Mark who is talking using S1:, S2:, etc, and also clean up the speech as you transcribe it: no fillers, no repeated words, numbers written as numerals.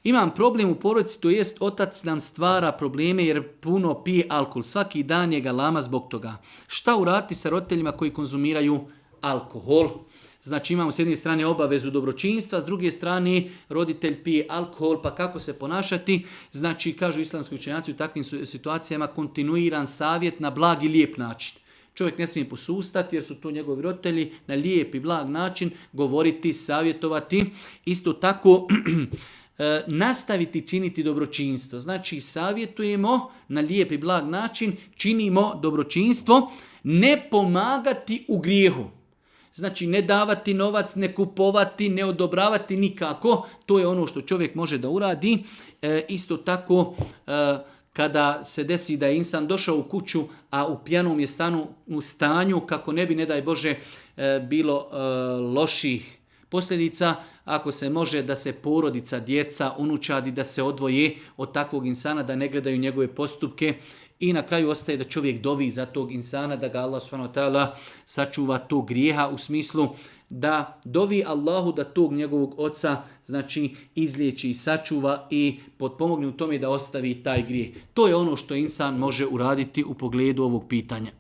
S1: Imam problem u porodici, to jest otac nam stvara probleme jer puno pije alkohol. Svaki dan je galama zbog toga. Šta uraditi sa roditeljima koji konzumiraju alkohol? Znači imamo s jedne strane obavezu dobročinstva, s druge strane roditelj pije alkohol, pa kako se ponašati? Znači, kažu islamski učenjaci u takvim situacijama kontinuiran savjet na blag i lijep način. Čovjek ne smije posustati jer su to njegovi roditelji, na lijep i blag način govoriti, savjetovati. Isto tako nastaviti činiti dobročinstvo. Znači savjetujemo na lijep i blag način, činimo dobročinstvo, ne pomagati u grijehu. Znači ne davati novac, ne kupovati, ne odobravati nikako. To je ono što čovjek može da uradi. Isto tako kada se desi da je insan došao u kuću, a u pijanom je u stanju kako ne bi, ne daj Bože, bilo loših posljedica, ako se može da se porodica, djeca, unučadi, da se odvoje od takvog insana, da ne gledaju njegove postupke i na kraju ostaje da čovjek dovi za tog insana, da ga Allah subhanahu wa ta'ala sačuva tog grijeha u smislu da dovi Allahu da tog njegovog oca znači izliječi i sačuva i potpomogne u tome da ostavi taj grijeh. To je ono što insan može uraditi u pogledu ovog pitanja.